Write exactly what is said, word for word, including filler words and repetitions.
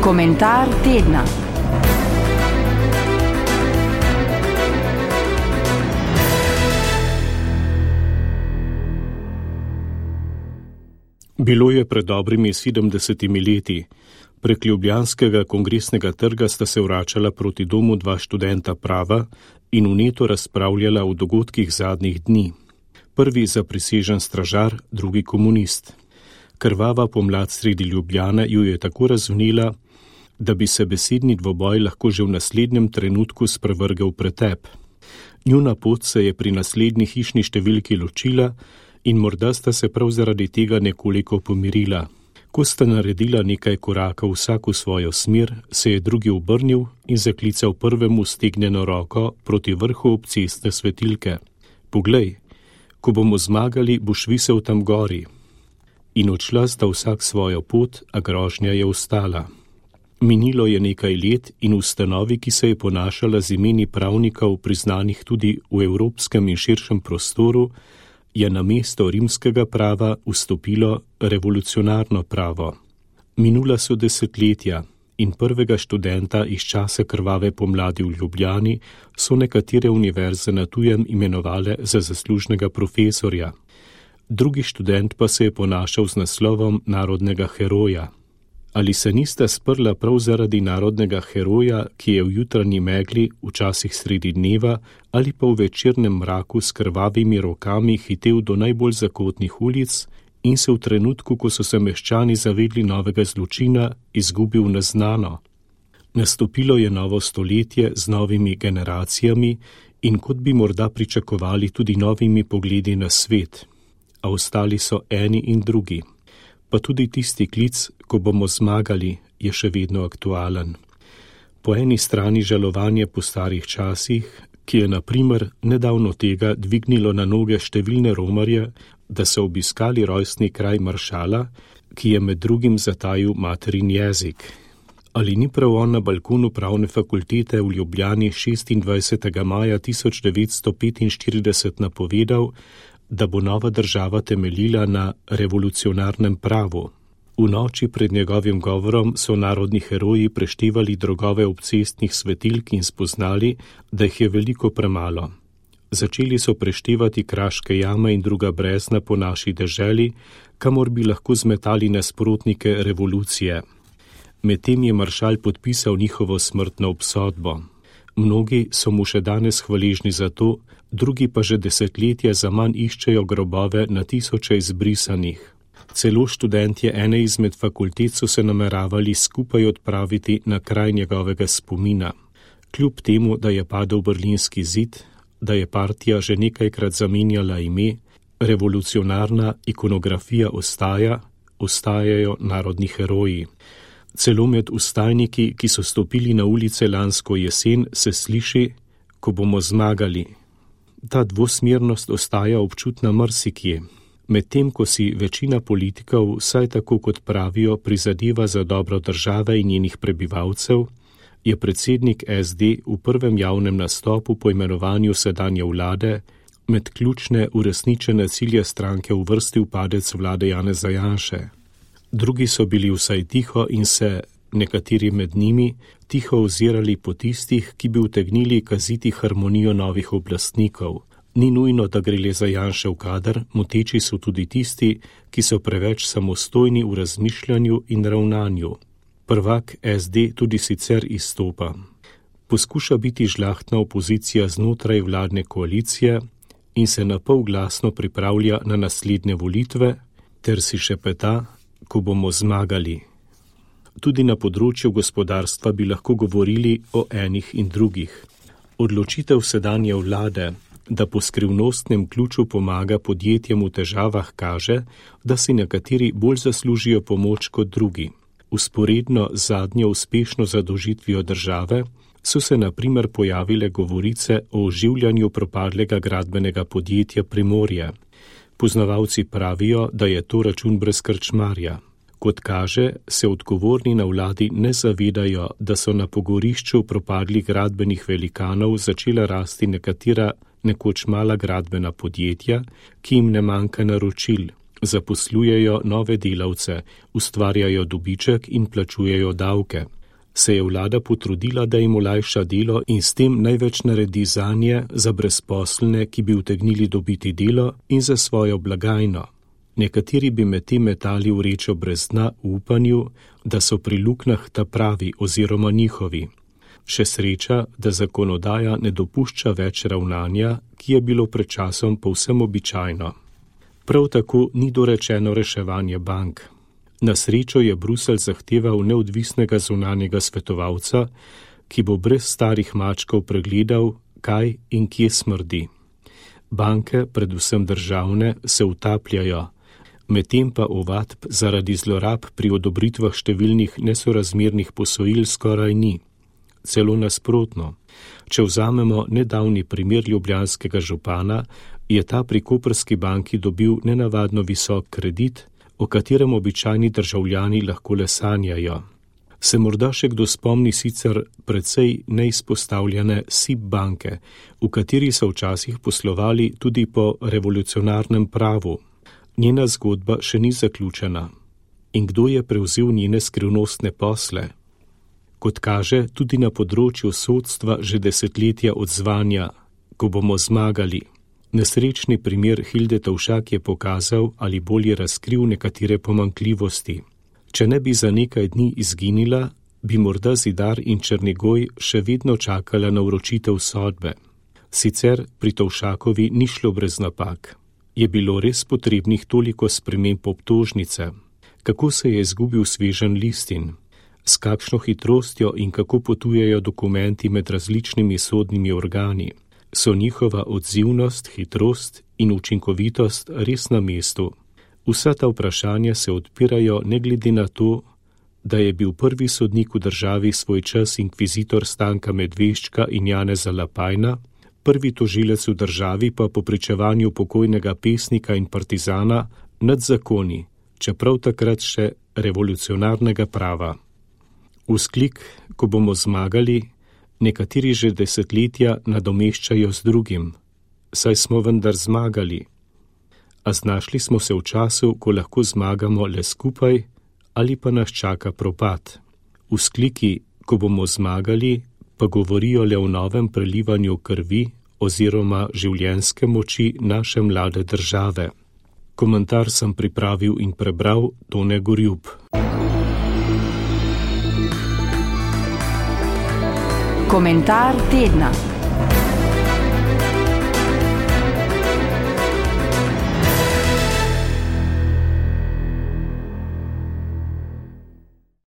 Komentar tedna. Bilo je pred dobrimi sedemdesetimi leti. Prek Ljubljanskega kongresnega trga sta se vračala proti domu dva študenta prava in vneto razpravljala o dogodkih zadnjih dni. Prvi zaprisežen stražar, drugi komunist. Krvava pomlad sredi Ljubljane ju je tako razvnela, da bi se besedni dvoboj lahko že v naslednjem trenutku sprevrgel v pretep. Njuna pot se je pri naslednji hišni številki ločila in morda sta se prav zaradi tega nekoliko pomirila. Ko sta naredila nekaj korakov vsak v svojo smer, se je drugi obrnil in zaklical prvemu stegnjeno roko proti vrhu obcestne svetilke. Poglej, ko bomo zmagali, boš visel tam gori. In odšla sta vsak svojo pot, a grožnja je ostala. Minilo je nekaj let in ustanovi, ki se je ponašala z imeni pravnikov, priznanih tudi v evropskem in širšem prostoru, je na mesto rimskega prava vstopilo revolucionarno pravo. Minula so desetletja in prvega študenta iz časa krvave pomladi v Ljubljani so nekatere univerze na tujem imenovale za zaslužnega profesorja. Drugi študent pa se je ponašal z naslovom narodnega heroja. Ali se nista sprla prav zaradi narodnega heroja, ki je v jutranji megli, včasih sredi dneva, ali pa v večernem mraku s krvavimi rokami hitel do najbolj zakotnih ulic in se v trenutku, ko so se meščani zavedli novega zločina, izgubil neznano? Nastopilo je novo stoletje z novimi generacijami in kot bi morda pričakovali tudi novimi pogledi na svet, a ostali so eni in drugi. Pa tudi tisti klic, ko bomo zmagali, je še vedno aktualen. Po eni strani žalovanje po starih časih, ki je na primer nedavno tega dvignilo na noge številne romarje, da so obiskali rojstni kraj maršala, ki je med drugim zatajil materin jezik. Ali ni prav on na balkonu pravne fakultete v Ljubljani šestindvajsetega maja tisoč devetsto petinštirideset napovedal, da bo nova država temeljila na revolucionarnem pravu. V noči pred njegovim govorom so narodni heroji preštevali drogove obcestnih svetilk in spoznali, da jih je veliko premalo. Začeli so preštevati kraške jame in druga brezna po naši deželi, kamor bi lahko zmetali nasprotnike revolucije. Medtem je maršal podpisal njihovo smrtno obsodbo. Mnogi so mu še danes hvaležni za to, drugi pa že desetletja zaman iščejo grobove na tisoče izbrisanih. Celo študentje ene izmed fakultet so se nameravali skupaj odpraviti na kraj njegovega spomina. Kljub temu, da je padel berlinski zid, da je partija že nekajkrat zamenjala ime, revolucionarna ikonografija ostaja, ostajajo narodni heroji. Celo med vstajniki, ki so stopili na ulice lansko jesen, se sliši, ko bomo zmagali. Ta dvosmernost ostaja občutna marsikje. Medtem, ko si večina politikov, vsaj tako kot pravijo, prizadeva za dobro države in njenih prebivalcev, je predsednik S D v prvem javnem nastopu po imenovanju sedanje vlade med ključne uresničene cilje stranke uvrstil padec vlade Janeza Janše. Drugi so bili vsaj tiho in se, nekateri med njimi, tiho ozirali po tistih, ki bi utegnili kaziti harmonijo novih oblastnikov. Ni nujno, da gre le za Janšev kader, moteči so tudi tisti, ki so preveč samostojni v razmišljanju in ravnanju. Prvak S D tudi sicer izstopa. Poskuša biti žlahtna opozicija znotraj vladne koalicije in se napol glasno pripravlja na naslednje volitve, ter si šepeta, ko bomo zmagali. Tudi na področju gospodarstva bi lahko govorili o enih in drugih. Odločitev sedanje vlade, da po skrivnostnem ključu pomaga podjetjem v težavah, kaže, da si nekateri bolj zaslužijo pomoč kot drugi. Usporedno z zadnjo uspešno zadolžitvijo države so se na primer pojavile govorice o oživljanju propadlega gradbenega podjetja Primorje. Poznavalci pravijo, da je to račun brez krčmarja. Kot kaže, se odgovorni na vladi ne zavedajo, da so na pogorišču propadlih gradbenih velikanov začela rasti nekatera nekoč mala gradbena podjetja, ki jim ne manjka naročil. Zaposlujejo nove delavce, ustvarjajo dobiček in plačujejo davke. Se je vlada potrudila, da jim olajša delo in s tem največ naredi zanje, za brezposelne, ki bi utegnili dobiti delo, in za svojo blagajno. Nekateri bi med tem metali vrečo brez dna v upanju, da so pri luknjah ta pravi oziroma njihovi. Še sreča, da zakonodaja ne dopušča več ravnanja, ki je bilo pred časom povsem običajno. Prav tako ni dorečeno reševanje bank. Na srečo je Bruselj zahteval neodvisnega zunanjega svetovalca, ki bo brez starih mačkov pregledal, kaj in kje smrdi. Banke, predvsem državne, se utapljajo, medtem pa ovadb zaradi zlorab pri odobritvah številnih nesorazmernih posojil skoraj ni. Celo nasprotno. Če vzamemo nedavni primer ljubljanskega župana, je ta pri Koprski banki dobil nenavadno visok kredit, o katerem običajni državljani lahko le sanjajo. Se morda še kdo spomni sicer precej neizpostavljene S I P banke, v kateri so včasih poslovali tudi po revolucionarnem pravu. Njena zgodba še ni zaključena. In kdo je prevzel njene skrivnostne posle? Kot kaže, tudi na področju sodstva že desetletja odzvanja, ko bomo zmagali. Nesrečni primer Hilde Tovšak je pokazal ali bolje razkril nekatere pomanjkljivosti. Če ne bi za nekaj dni izginila, bi morda Zidar in Črnigoj še vedno čakala na vročitev sodbe. Sicer pri Tovšakovi ni šlo brez napak. Je bilo res potrebnih toliko sprememb obtožnice? Kako se je izgubil sveženj listin? S kakšno hitrostjo in kako potujejo dokumenti med različnimi sodnimi organi? So njihova odzivnost, hitrost in učinkovitost res na mestu? Vsa ta vprašanja se odpirajo ne glede na to, da je bil prvi sodnik v državi svoj čas inkvizitor Stanka Medveščka in Janeza Lapajna, prvi tožilec v državi pa po pričevanju pokojnega pesnika in partizana nad zakoni, čeprav takrat še revolucionarnega prava. Vzklik, ko bomo zmagali, nekateri že desetletja nadomeščajo z drugim. Saj smo vendar zmagali. A znašli smo se v času, ko lahko zmagamo le skupaj ali pa nas čaka propad. Vzkliki, ko bomo zmagali, pa govorijo le o novem prelivanju krvi oziroma življenjske moči naše mlade države. Komentar sem pripravil in prebral Tone Gorjup. Komentar tedna.